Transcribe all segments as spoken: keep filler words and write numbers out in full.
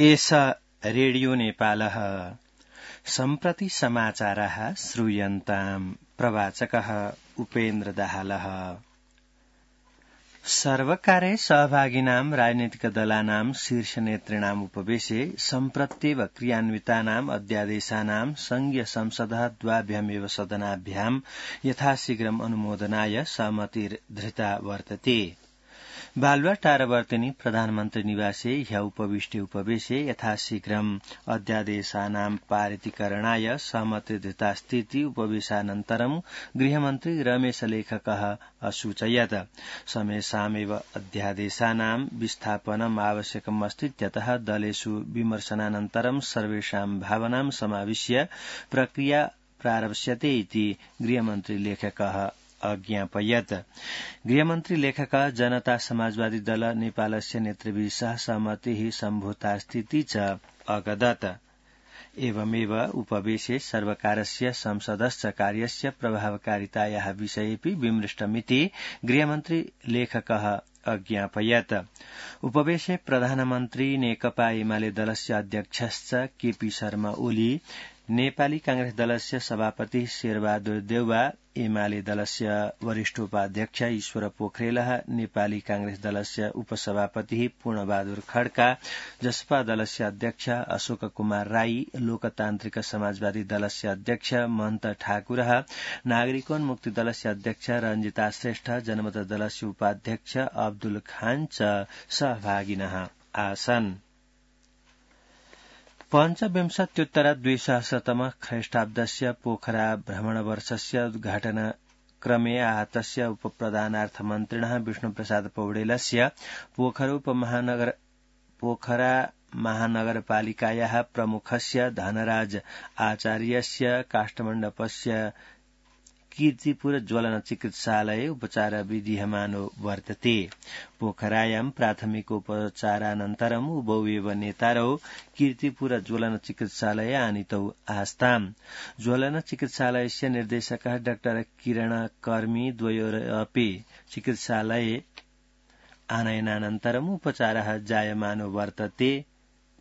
एष रेडियो नेपालः सम्प्रति समाचाराः श्रूयन्ताम् प्रवाचकः उपेन्द्र दाहालः। सर्वकारे सहभागिनां राजनीतिकदलानां शीर्षनेतृणाम् उपवेशे सम्प्रत्येव क्रियान्वितानाम् अध्यादेशानां संघीय संसदः द्वाभ्यामेव सदनाभ्यां यथाशीघ्रम् अनुमोदनाय सहमतिर्धृता वर्तते। बालुवाटारवर्तिनी प्रधानमन्त्री निवासे ह्य उपविष्टे उपवेशे यथाशीघ्रम् अध्यादेशानां पारितीकरणाय सहमतिर्धृतास्तीति उपवेशानन्तरं गृहमन्त्री रमेश लेखकः असूचयत्। समेषामेव अध्यादेशानां विस्थापनम् आवश्यकम् अस्तीत्यतः दलेषु विमर्शनानन्तरं सर्वेषां भावनां समाविश्य प्रक्रिया प्रारप्स्यते इति गृहमन्त्री लेखकः अज्ञापयत्। गृहमन्त्री लेखकः जनता समाजवादी दल नेपालस्य नेतृभिः सह सहमतिः सम्भूतास्तीति च अगदत्। एवमेव उपवेशे सर्वकारस्य संसदश्च कार्यस्य प्रभावकारितायाः विषयेऽपि विमृष्टमिति गृहमन्त्री लेखकः अज्ञापयत्। उपवेशे प्रधानमन्त्री नेकपा एमाले दलस्य अध्यक्षश्च केपी शर्मा ओली, नेपाली कांग्रेस दलस्य सभापति शेरबहादुर देउवा, एमाले दलस्य वरिष्ठोपाध्यक्ष ईश्वर पोखरेलः, नेपाली कांग्रेस दलस्य उपसभापति पूर्णबहादुर खड्का, जसपा दलस्य अध्यक्ष अशोक कुमार राई, लोकतान्त्रिक समाजवादी दलस्य अध्यक्ष महन्त ठाकुरः, नागरिकोन्मुक्ति दलस्य अध्यक्ष रञ्जिता श्रेष्ठ, जनमत दलस्य उपाध्यक्ष अब्दुल खान च सहभागिनः आसन्। पञ्चविंशत्युत्तर द्विसहस्रतम ख्रीष्टाब्दस्य पोखरा भ्रमणवर्षस्य उद्घाटनक्रमे आहतस्य उपप्रधानार्थमन्त्रिणः विष्णुप्रसाद पौडेलस्य पोखरा उपमहानगर पोखरा महानगरपालिकायाः प्रमुखस्य धनराज आचार्यस्य काष्ठमण्डपस्य कीर्तिपुर ज्वलन चिकित्सालये उपचार विधीयमानो वर्तते। पोखरायां प्राथमिकोपचारानन्तरम् उभौ एव नेतारौ कीर्तिपुर ज्वलन चिकित्सालये आनीतौ आस्ताम्। ज्वलन चिकित्सालयस्य निर्देशकः डाक्टर किरण कर्मी द्वयोरपि चिकित्सालये आनयनानन्तरम् उपचारः जायमानो वर्तते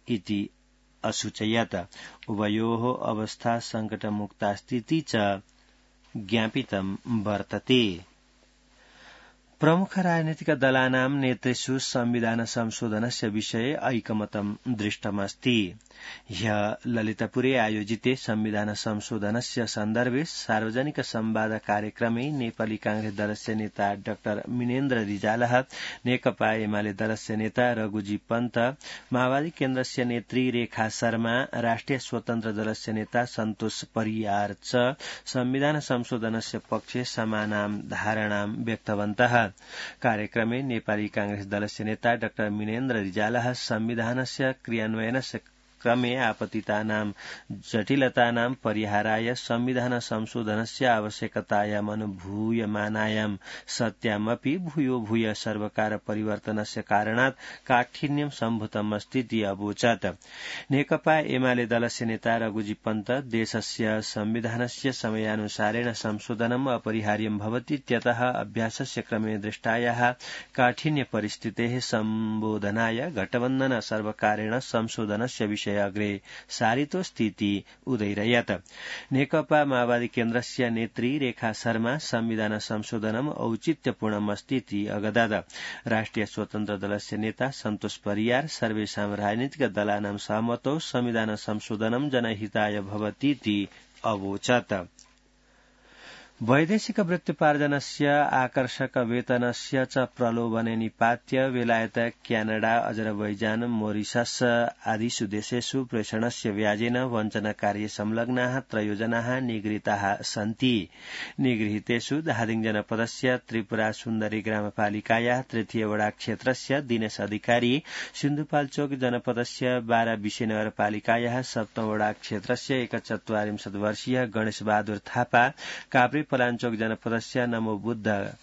इति असूचयत्। उभयोः अवस्था सङ्कटमुक्तास्तीति च ज्ञापितं वर्तते। प्रमुख राजनीतिक दलानां नेतृषु संविधान संशोधनस्य विषये ऐकमतं दृष्टमस्ति। ह्यः ललितपुरे आयोजिते संविधान संशोधनस्य सन्दर्भे सार्वजनिक संवाद कार्यक्रमे नेपाली कांग्रेस दलस्य नेता डाक्टर मिनेन्द्र रिजालः, नेकपा एमाले दलस्य नेता रघुजी पन्त, माओवादी केन्द्रस्य नेत्री रेखा शर्मा, राष्ट्रिय स्वतन्त्र दलस्य नेता सन्तोष परियार च संविधान संशोधनस्य पक्षे समानां धारणां व्यक्तवन्तः। कार्यक्रमे नेपाली कांग्रेस दलस्य नेता डाक्टर मिनेन्द्र रिजालः संविधानस्य क्रियान्वयनस्य क्रमे आपतितानां जटिलतानां परिहाराय संविधान संशोधनस्य आवश्यकतायाम् अनुभूयमानायां सत्यामपि भूयो भूय सर्वकार परिवर्तनस्य कारणात् काठिन्यं सम्भूतम् अस्तीति अवोचत्। नेकपा एमाले दलस्य नेता रघुजी पन्त, देशस्य संविधानस्य समयानुसारेण संशोधनम् अपरिहार्यं भवतीत्यतः अभ्यासस्य क्रमे दृष्टायाः काठिन्य परिस्थितेः सम्बोधनाय गठबन्धन सर्वकारेण संशोधनस्य विषये अग्रे सारितोस्तीति उदैरयत्। नेकपा माओवादी केन्द्रस्य नेत्री रेखा शर्मा संविधान संशोधनम् औचित्यपूर्णमस्तीति अगदत्। राष्ट्रिय स्वतन्त्र दलस्य नेता सन्तोष परियार सर्वेषां राजनीतिक दलानां सहमतौ संविधान संशोधनं जनहिताय भवतीति अवोचत्। वैदेशिक वृत्त्योपार्जनस्य आकर्षक वेतनस्य च प्रलोभने निपात्य बेलायत, क्यानाडा, अजरबैजान, मोरिशस आदिषु देशेषु प्रेषणस्य व्याजेन वञ्चनकार्ये संलग्नाः त्रयोजनाः निगृहीताः सन्ति। निगृहीतेषु धादिङ जनपदस्य त्रिपुरा सुन्दरी ग्रामपालिकायाः तृतीय वडा क्षेत्रस्य दिनेश अधिकारी, सिन्धुपाल्चोक जनपदस्य बारा विशे नगरपालिकायाः सप्तम वडा क्षेत्रस्य एकचत्वारिंशत् वर्षीय गणेश बहादुर थापा, काभ्रे पलाञ्चोक जनपदस्य नमो बुद्ध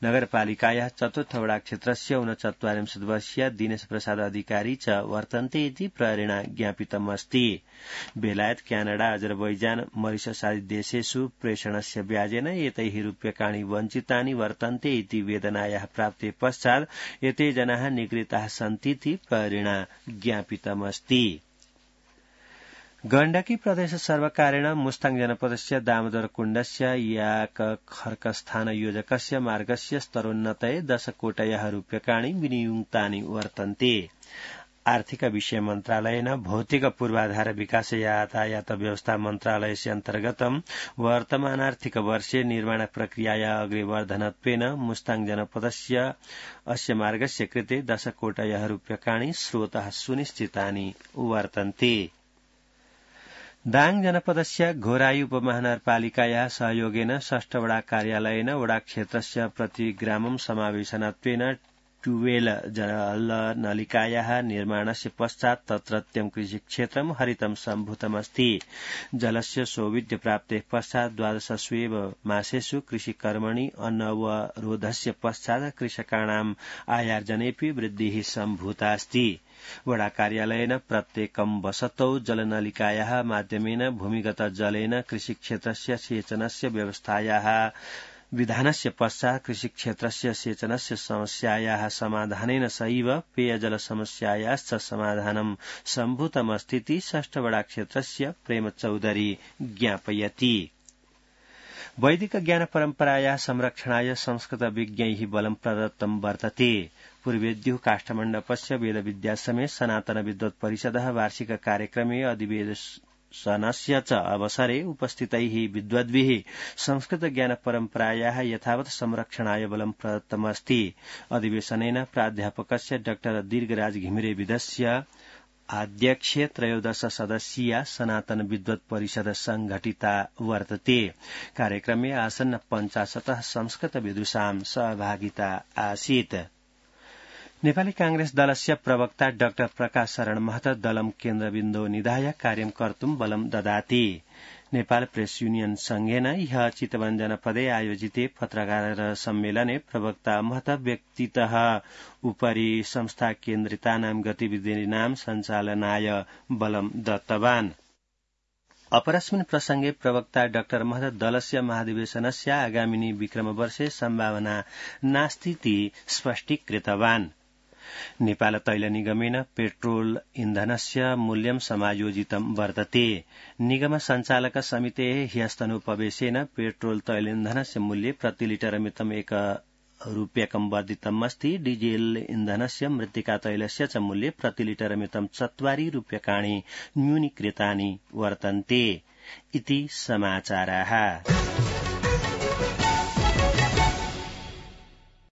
नगरपालिकायाः चतुर्थ वडा क्षेत्रस्य ऊनचत्वारिंशत् वर्षीय दिनेश प्रसाद अधिकारी च वर्तन्ते इति प्रहरेण ज्ञापितमस्ति। बेलायत क्यानाडा अजरबैजान मरिशस आदि देशेषु प्रेषणस्य व्याजेन एतैः रूप्यकाणि वञ्चितानि वर्तन्ते इति वेदनायाः प्राप्ते पश्चात् एते जनाः निगृहीताः सन्तीति प्रहरेण ज्ञापितमस्ति। गण्डकी प्रदेश सर्वकारेण मुस्ताङ जनपदस्य दामोदर कुण्डस्य याक खर्कस्थान योजकस्य मार्गस्य स्तरोन्नतये दशकोटयः रूप्यकाणि विनियुक्तानि वर्तन्ते। आर्थिक विषय मन्त्रालयेन भौतिक पूर्वाधार विकास यातायात व्यवस्था मन्त्रालयस्य अन्तर्गतं वर्तमानार्थिक वर्षे निर्माण प्रक्रियाया अग्रेवर्धनत्वेन मुस्ताङ जनपदस्य अस्य मार्गस्य कृते दशकोटयः रूप्यकाणि स्रोतः सुनिश्चितानि वर्तन्ते। दाङ जनपदस्य घोराई उपमहानगरपालिकायाः सहयोगेन षष्ठ वडा कार्यालयेन वडा क्षेत्रस्य प्रतिग्रामं समावेशनत्वेन ट्यूबवेल जल नलिकायाः निर्माणस्य पश्चात् तत्रत्यं कृषिक्षेत्रं हरितं सम्भूतमस्ति। जलस्य सौविध्य प्राप्तेः पश्चात् द्वादशस्वेव मासेषु कृषिकर्मणि अनवरोधस्य पश्चात् कृषकाणाम् आयार्जनेऽपि वृद्धिः सम्भूतास्ति। वडा कार्यालयेन प्रत्येकं वसतौ जलनलिकायाः माध्यमेन भूमिगत जलेन कृषिक्षेत्रस्य सेचनस्य व्यवस्थायाः विधानस्य पश्चात् कृषिक्षेत्रस्य सेचनस्य समस्यायाः समाधानेन सैव पेयजल समस्यायाश्च समाधानं सम्भूतमस्तीति षष्ठ वडा क्षेत्रस्य प्रेम चौधरी ज्ञापयति। वैदिक ज्ञान परम्परायाः संरक्षणाय संस्कृत विज्ञैः बलं प्रदत्तं वर्तते। पूर्वेद्युः काष्ठमण्डपस्य वेदविद्यासमेत सनातन विद्वत् परिषदः वार्षिक कार्यक्रमे अधिवेशनस्य च अवसरे उपस्थितैः विद्वद्भिः संस्कृत ज्ञान परम्परायाः यथावत् संरक्षणाय बलं प्रदत्तमस्ति। अधिवेशनेन प्राध्यापकस्य डॉ दीर्घराज घिमिरे विदस्य अध्यक्षे त्रयोदश सदस्यीया सनातन विद्वत् परिषद संघटिता वर्तते। कार्यक्रमे आसन्न पञ्चाशतः संस्कृत विदुषां सहभागिता आसीत्। नेपाली कांग्रेस दलस्य प्रवक्ता डाक्टर प्रकाश शरण महतो दलं केन्द्रबिन्दो निधाय कार्यं कर्तुं बलं ददाति। नेपाल प्रेस यूनियन संघेन ह्यः चितवन जनपदे आयोजिते पत्रकार सम्मेलने प्रवक्ता महतो व्यक्तितः उपरि संस्था केन्द्रितानां गतिविधीनां सञ्चालनाय बलं दत्तवान्। अपरस्मिन् प्रसंगे प्रवक्ता डाक्टर महतो दलस्य महाधिवेशनस्य आगामिनी विक्रमवर्षे सम्भावना नास्तीति स्पष्टीकृतवान्। नेपाल तैल निगमेन पेट्रोल इन्धनस्य मूल्यं समायोजितं वर्तते। निगम सञ्चालक समितेः ह्यस्तनोपवेशेन पेट्रोल तैल इन्धनस्य मूल्ये प्रति लिटर मितम् एक रूप्यकं वर्धितम् अस्ति। डीजेल इन्धनस्य मृत्तिका तैलस्य च मूल्ये प्रति लिटर मितं चत्वारि रूप्यकाणि न्यूनीकृतानि वर्तन्ते इति समाचाराः।